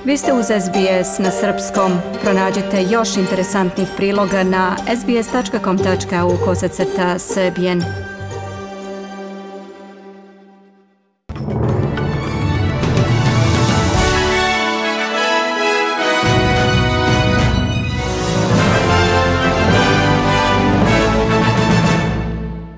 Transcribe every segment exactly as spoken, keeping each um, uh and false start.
Vi ste uz S B S na srpskom. Pronađite još interesantnih priloga na sbs.com tačka au kosacrta srbijen.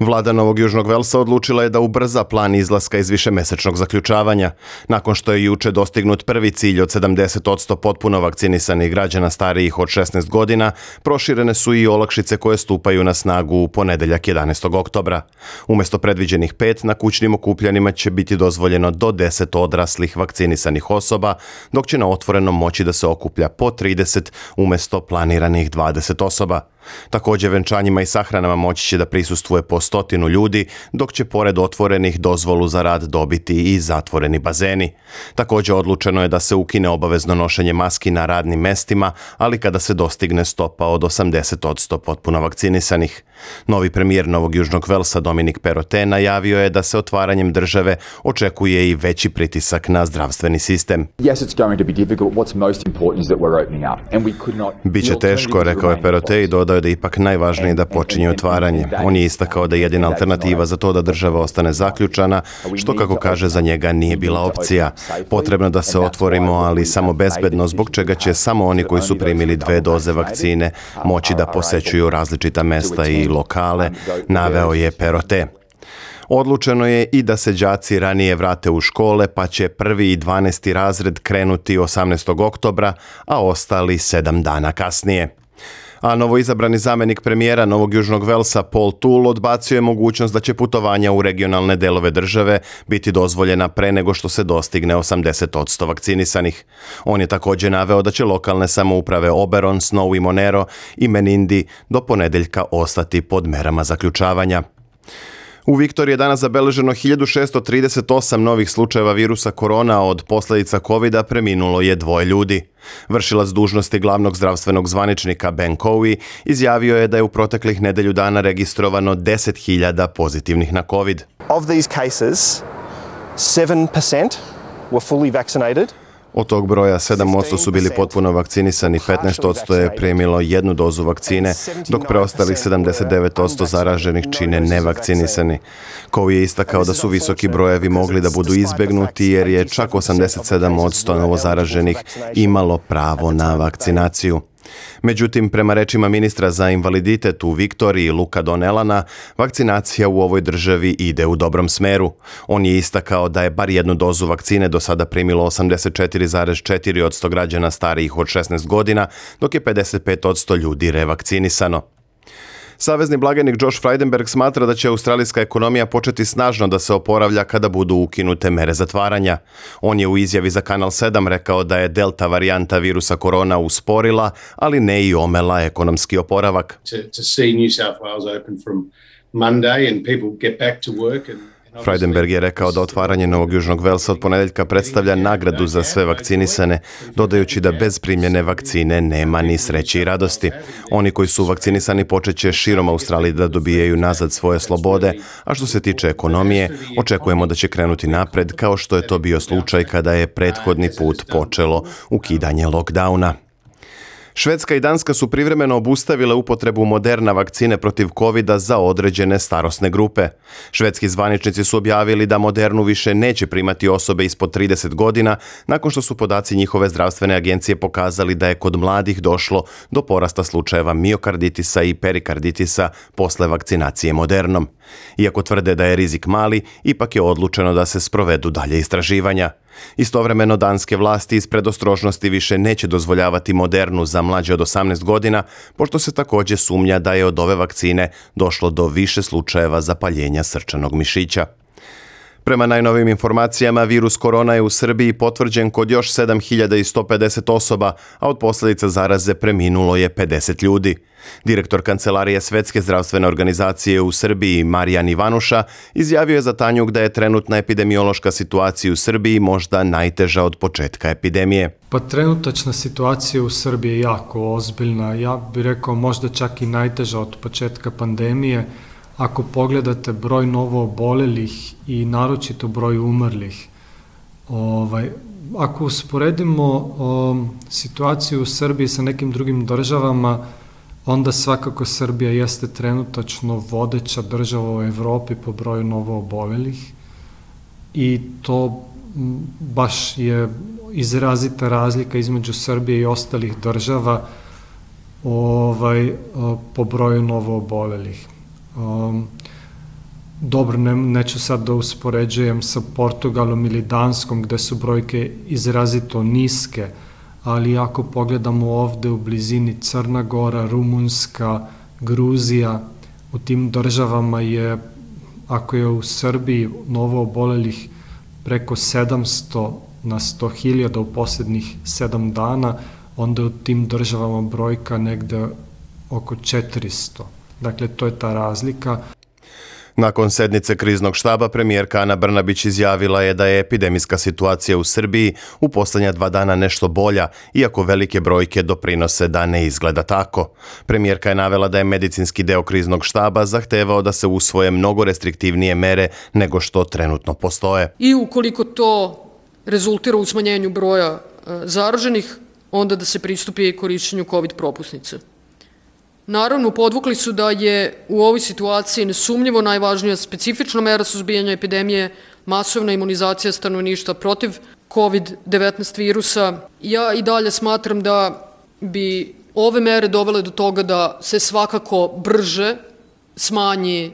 Vlada Novog Južnog Velsa odlučila je da ubrza plan izlaska iz višemesečnog zaključavanja. Nakon što je juče dostignut prvi cilj od sedamdeset posto potpuno vakcinisanih građana starijih od šesnaest godina, proširene su i olakšice koje stupaju na snagu u ponedeljak jedanaestog oktobra. Umesto predviđenih pet, na kućnim okupljanjima će biti dozvoljeno do deset odraslih vakcinisanih osoba, dok će na otvorenom moći da se okuplja po trideset umesto planiranih dvadeset osoba. Također venčanjima i sahranama moći će da prisustvuje po stotinu ljudi, dok će pored otvorenih dozvolu za rad dobiti i zatvoreni bazeni. Također odlučeno je da se ukine obavezno nošenje maski na radnim mestima, ali kada se dostigne stopa od osamdeset posto potpuno vakcinisanih. Novi premijer Novog Južnog Velsa Dominic Perrottet najavio je da se otvaranjem države očekuje i veći pritisak na zdravstveni sistem. Biće teško, rekao je Perrottet i dodao je da ipak najvažnije da počinje otvaranje. On je istakao da je jedina alternativa za to da država ostane zaključana, što kako kaže za njega nije bila opcija. Potrebno da se otvorimo, ali samo bezbedno, zbog čega će samo oni koji su primili dve doze vakcine moći da posećuju različita mesta i lokale, naveo je Perrottet. Odlučeno je i da se đaci ranije vrate u škole, pa će prvi i dvanaesti razred krenuti osamnaestog oktobra, a ostali sedam dana kasnije. A novoizabrani zamjenik premijera Novog Južnog Velsa Paul Toole odbacio je mogućnost da će putovanja u regionalne delove države biti dozvoljena pre nego što se dostigne osamdeset posto vakcinisanih. On je također naveo da će lokalne samouprave Oberon, Snow i Monero i Menindee do ponedeljka ostati pod merama zaključavanja. U Viktoriji je danas zabeleženo hiljadu šesto trideset osam novih slučajeva virusa korona, od posljedica kovida preminulo je dvoje ljudi. Vršilac dužnosti glavnog zdravstvenog zvaničnika Ben Cowie izjavio je da je u proteklih nedelju dana registrovano deset hiljada pozitivnih na COVID. Of these cases, seven percent were fully vaccinated. Od tog broja sedam posto su bili potpuno vakcinisani, petnaest posto je primilo jednu dozu vakcine, dok preostalih sedamdeset devet posto zaraženih čine nevakcinisani. Cowie je istakao da su visoki brojevi mogli da budu izbegnuti jer je čak osamdeset sedam posto novozaraženih imalo pravo na vakcinaciju. Međutim, prema rečima ministra za invaliditet u Viktoriji Luka Donnellana, vakcinacija u ovoj državi ide u dobrom smeru. On je istakao da je bar jednu dozu vakcine do sada primilo osamdeset četiri zarez četiri posto građana starijih od šesnaest godina, dok je pedeset pet posto ljudi revakcinisano. Savezni blagajnik Josh Frydenberg smatra da će australijska ekonomija početi snažno da se oporavlja kada budu ukinute mere zatvaranja. On je u izjavi za Kanal sedam rekao da je delta varijanta virusa korona usporila, ali ne i omela ekonomski oporavak. To, to see New South Wales open from Monday and people get back to work and Frydenberg je rekao da otvaranje Novog Južnog Velsa od ponedeljka predstavlja nagradu za sve vakcinisane, dodajući da bez primljene vakcine nema ni sreće i radosti. Oni koji su vakcinisani počet će širom Australije da dobijaju nazad svoje slobode, a što se tiče ekonomije, očekujemo da će krenuti napred kao što je to bio slučaj kada je prethodni put počelo ukidanje lockdowna. Švedska i Danska su privremeno obustavile upotrebu Moderna vakcine protiv kovida za određene starosne grupe. Švedski zvaničnici su objavili da Modernu više neće primati osobe ispod trideset godina, nakon što su podaci njihove zdravstvene agencije pokazali da je kod mladih došlo do porasta slučajeva miokarditisa i perikarditisa posle vakcinacije Modernom. Iako tvrde da je rizik mali, ipak je odlučeno da se sprovedu dalje istraživanja. Istovremeno danske vlasti iz predostrožnosti više neće dozvoljavati Modernu za mlađe od osamnaest godina, pošto se također sumnja da je od ove vakcine došlo do više slučajeva zapaljenja srčanog mišića. Prema najnovim informacijama, virus korona je u Srbiji potvrđen kod još sedam hiljada sto pedeset osoba, a od posljedica zaraze preminulo je pedeset ljudi. Direktor Kancelarije Svetske zdravstvene organizacije u Srbiji, Marijan Ivanuša, izjavio je za Tanjug da je trenutna epidemiološka situacija u Srbiji možda najteža od početka epidemije. Pa trenutačna situacija u Srbiji je jako ozbiljna. Ja bih rekao možda čak i najteža od početka pandemije. Ako pogledate broj novo obolelih i naročito broj umrlih, Ovaj, ako usporedimo o, situaciju u Srbiji sa nekim drugim državama, onda svakako Srbija jeste trenutačno vodeća država u Evropi po broju novoobolelih i to baš je izrazita razlika između Srbije i ostalih država ovaj, po broju novoobolelih. Um, dobro, ne, neću sad da uspoređujem sa Portugalom ili Danskom gde su brojke izrazito niske, ali ako pogledamo ovde u blizini Crna Gora, Rumunska, Gruzija, u tim državama je, ako je u Srbiji novoobolelih preko sedamsto na sto hiljada u posljednjih sedam dana, onda u tim državama brojka negde oko četiristo. Dakle, to je ta razlika. Nakon sednice kriznog štaba, premijerka Ana Brnabić izjavila je da je epidemijska situacija u Srbiji u posljednja dva dana nešto bolja, iako velike brojke doprinose da ne izgleda tako. Premijerka je navela da je medicinski deo kriznog štaba zahtevao da se usvoje mnogo restriktivnije mere nego što trenutno postoje. I ukoliko to rezultira u smanjenju broja zaraženih, onda da se pristupi korišćenju COVID propusnice. Naravno, podvukli su da je u ovoj situaciji nesumnjivo najvažnija specifična mera suzbijanja epidemije masovna imunizacija stanovništva protiv COVID devetnaest virusa. Ja i dalje smatram da bi ove mere dovele do toga da se svakako brže smanji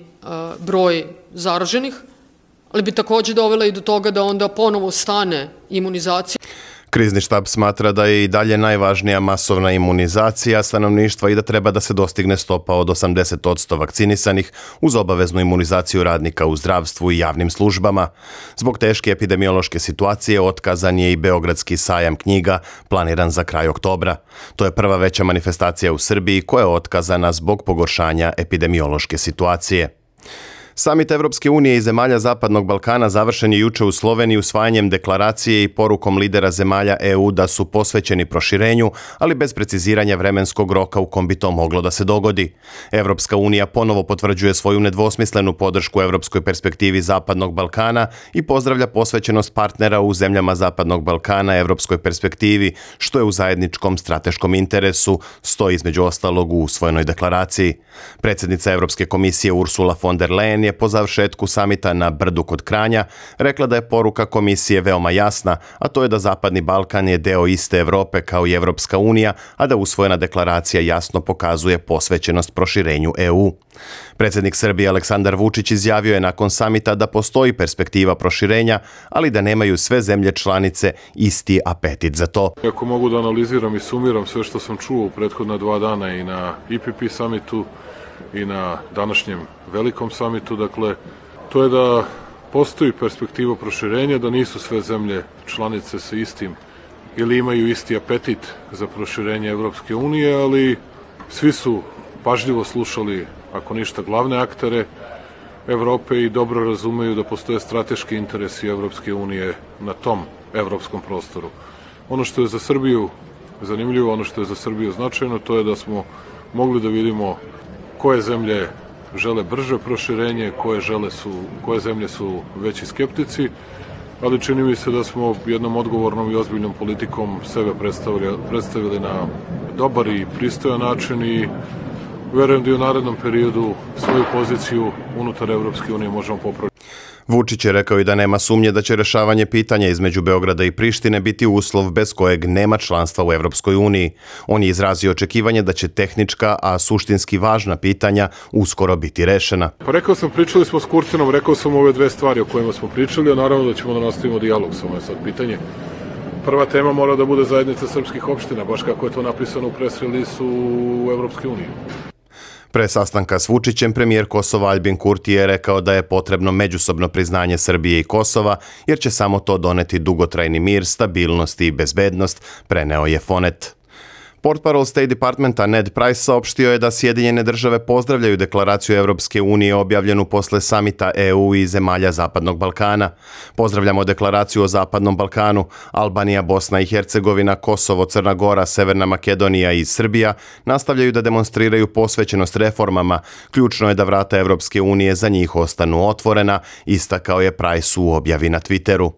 broj zaraženih, ali bi takođe dovele i do toga da onda ponovo stane imunizacija. Krizni štab smatra da je i dalje najvažnija masovna imunizacija stanovništva i da treba da se dostigne stopa od osamdeset posto vakcinisanih uz obaveznu imunizaciju radnika u zdravstvu i javnim službama. Zbog teške epidemiološke situacije otkazan je i Beogradski sajam knjiga planiran za kraj oktobra. To je prva veća manifestacija u Srbiji koja je otkazana zbog pogoršanja epidemiološke situacije. Samit Evropske unije i zemalja Zapadnog Balkana završen je juče u Sloveniji usvajanjem deklaracije i porukom lidera zemalja E U da su posvećeni proširenju, ali bez preciziranja vremenskog roka u kom bi to moglo da se dogodi. Evropska unija ponovo potvrđuje svoju nedvosmislenu podršku evropskoj perspektivi Zapadnog Balkana i pozdravlja posvećenost partnera u zemljama Zapadnog Balkana evropskoj perspektivi, što je u zajedničkom strateškom interesu, stoji između ostalog u usvojenoj deklaraciji. Predsjednica Evropske komisije Ursula von der Leyen je po završetku samita na Brdu kod Kranja rekla da je poruka komisije veoma jasna, a to je da Zapadni Balkan je deo iste Evrope kao i Evropska unija, a da usvojena deklaracija jasno pokazuje posvećenost proširenju E U. Predsjednik Srbije Aleksandar Vučić izjavio je nakon samita da postoji perspektiva proširenja, ali da nemaju sve zemlje članice isti apetit za to. Ako mogu da analiziram i sumiram sve što sam čuo u prethodna dva dana i na I P P samitu i na današnjem velikom samitu, dakle, to je da postoji perspektiva proširenja, da nisu sve zemlje članice sa istim ili imaju isti apetit za proširenje Evropske unije, ali svi su pažljivo slušali, ako ništa, glavne aktere Evrope i dobro razumeju da postoje strateški interesi Evropske unije na tom evropskom prostoru. Ono što je za Srbiju zanimljivo, ono što je za Srbiju značajno, to je da smo mogli da vidimo koje zemlje žele brže proširenje, koje, žele su, koje zemlje su veći skeptici, ali čini mi se da smo jednom odgovornom i ozbiljnom politikom sebe predstavili, predstavili na dobar i pristojan način i verujem da i u narednom periodu svoju poziciju unutar Evropske unije možemo popraviti. Vučić je rekao i da nema sumnje da će rešavanje pitanja između Beograda i Prištine biti uslov bez kojeg nema članstva u Evropskoj uniji. On je izrazio očekivanje da će tehnička, a suštinski važna pitanja uskoro biti rešena. Pa rekao sam, pričali smo s Kurtinom, rekao sam ove dve stvari o kojima smo pričali, a naravno da ćemo da nastavimo dijalog, samo je sad pitanje. Prva tema mora da bude zajednica srpskih opština, baš kako je to napisano u press release u Evropskoj uniji. Pre sastanka s Vučićem, premijer Kosova Aljbin Kurti je rekao da je potrebno međusobno priznanje Srbije i Kosova, jer će samo to doneti dugotrajni mir, stabilnost i bezbednost, preneo je Fonet. Portparol State Departmenta Ned Price saopštio je da Sjedinjene države pozdravljaju deklaraciju Evropske unije objavljenu posle samita E U i zemalja Zapadnog Balkana. Pozdravljamo deklaraciju o Zapadnom Balkanu. Albanija, Bosna i Hercegovina, Kosovo, Crna Gora, Severna Makedonija i Srbija nastavljaju da demonstriraju posvećenost reformama. Ključno je da vrata Evropske unije za njih ostanu otvorena, istakao je Price u objavi na Twitteru.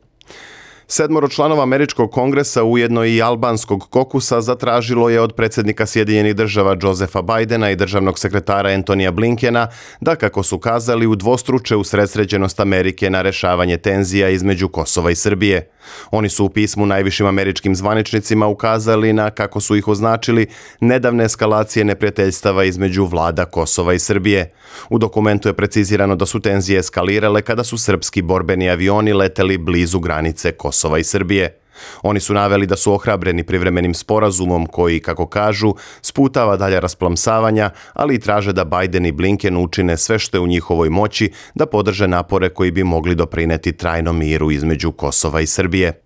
Sedmoro članova američkog kongresa, ujedno i albanskog kokusa, zatražilo je od predsjednika Sjedinjenih država Josepha Bidena i državnog sekretara Antonija Blinkena da, kako su kazali, udvostruče usredsređenost Amerike na rešavanje tenzija između Kosova i Srbije. Oni su u pismu najvišim američkim zvaničnicima ukazali na, kako su ih označili, nedavne eskalacije neprijateljstava između vlada Kosova i Srbije. U dokumentu je precizirano da su tenzije eskalirale kada su srpski borbeni avioni leteli blizu granice Kosova i Srbije. Oni su naveli da su ohrabreni privremenim sporazumom koji, kako kažu, sputava dalja rasplamsavanja, ali i traže da Biden i Blinken učine sve što je u njihovoj moći da podrže napore koji bi mogli doprineti trajnom miru između Kosova i Srbije.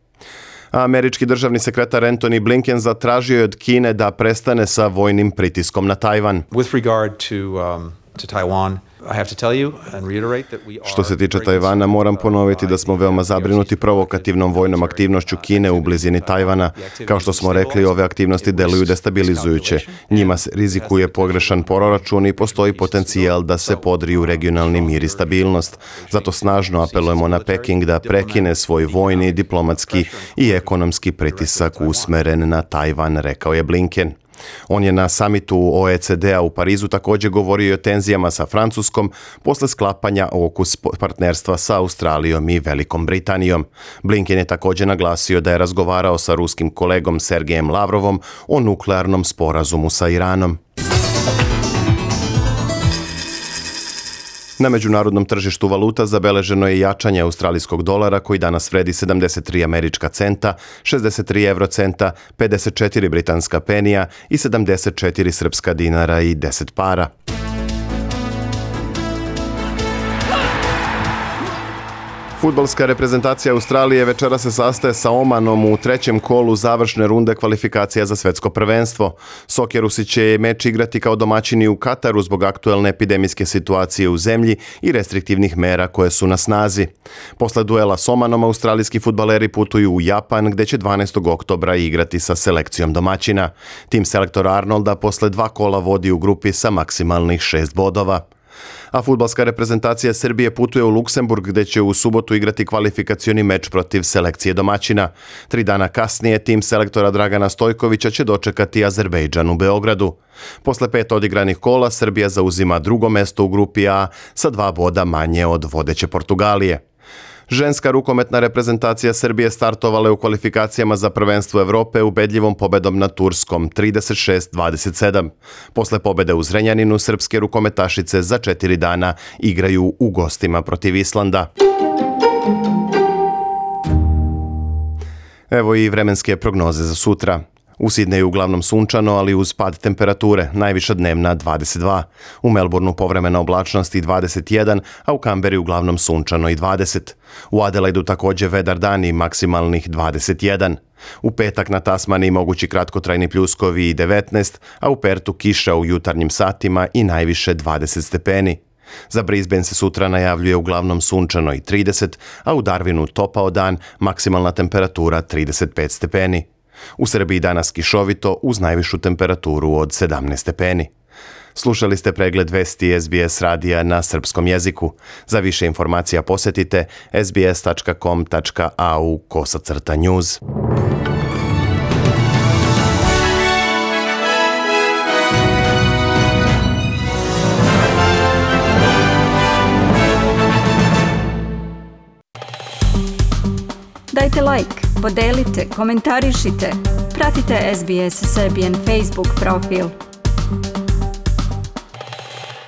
Američki državni sekretar Antony Blinken zatražio je od Kine da prestane sa vojnim pritiskom na Tajvan. With regard to um, to Taiwan, I have to tell you and reiterate that we are. Što se tiče Tajvana, moram ponoviti da smo veoma zabrinuti provokativnom vojnom aktivnošću Kine u blizini Tajvana. Kao što smo rekli, ove aktivnosti deluju destabilizujuće. Njima se rizikuje pogrešan proračun i postoji potencijal da se podriju regionalni mir i stabilnost. Zato snažno apelujemo na Peking da prekine svoj vojni, diplomatski i ekonomski pritisak usmeren na Tajvan, rekao je Blinken. On je na samitu O E C D-a u Parizu također govorio i o tenzijama sa Francuskom posle sklapanja okus partnerstva sa Australijom i Velikom Britanijom. Blinken je također naglasio da je razgovarao sa ruskim kolegom Sergejem Lavrovom o nuklearnom sporazumu sa Iranom. Na međunarodnom tržištu valuta zabeleženo je jačanje australijskog dolara koji danas vredi sedamdeset tri američka centa, šezdeset tri evrocenta, pedeset četiri britanska penija i sedamdeset četiri srpska dinara i deset para. Fudbalska reprezentacija Australije večera se sastaje sa Omanom u trećem kolu završne runde kvalifikacija za svetsko prvenstvo. Sokjerusi će meč igrati kao domaćini u Kataru zbog aktuelne epidemijske situacije u zemlji i restriktivnih mera koje su na snazi. Posle duela s Omanom, australijski fudbaleri putuju u Japan, gde će dvanaestog oktobra igrati sa selekcijom domaćina. Tim selektora Arnolda posle dva kola vodi u grupi sa maksimalnih šest bodova. A fudbalska reprezentacija Srbije putuje u Luksemburg, gde će u subotu igrati kvalifikacioni meč protiv selekcije domaćina. Tri dana kasnije tim selektora Dragana Stojkovića će dočekati Azerbejdžan u Beogradu. Posle pet odigranih kola Srbija zauzima drugo mesto u grupi A sa dva boda manje od vodeće Portugalije. Ženska rukometna reprezentacija Srbije startovala je u kvalifikacijama za prvenstvo Evrope ubedljivom pobedom na Turskom trideset šest dvadeset sedam. Posle pobede u Zrenjaninu, srpske rukometašice za četiri dana igraju u gostima protiv Islanda. Evo i vremenske prognoze za sutra. U Sidneju uglavnom sunčano, ali uz pad temperature, najviša dnevna dvadeset dva. U Melbourneu povremena oblačnost i dvadeset jedan, a u Kamberi uglavnom sunčano i dvadeset. U Adelaidu također vedar dan i maksimalnih dvadeset jedan. U petak na Tasmaniji mogući kratkotrajni pljuskovi i devetnaest, a u Pertu kiša u jutarnjim satima i najviše dvadeset stepeni. Za Brisbane se sutra najavljuje uglavnom sunčano i trideset, a u Darwinu topao dan, maksimalna temperatura trideset pet stepeni. U Srbiji danas kišovito uz najvišu temperaturu od sedamnaest stepeni. Slušali ste pregled vesti S B S radija na srpskom jeziku. Za više informacija posjetite sbs.com tačka au kosacrta news. Dajte like, podelite, komentarišite, pratite S B S Serbian Facebook profil.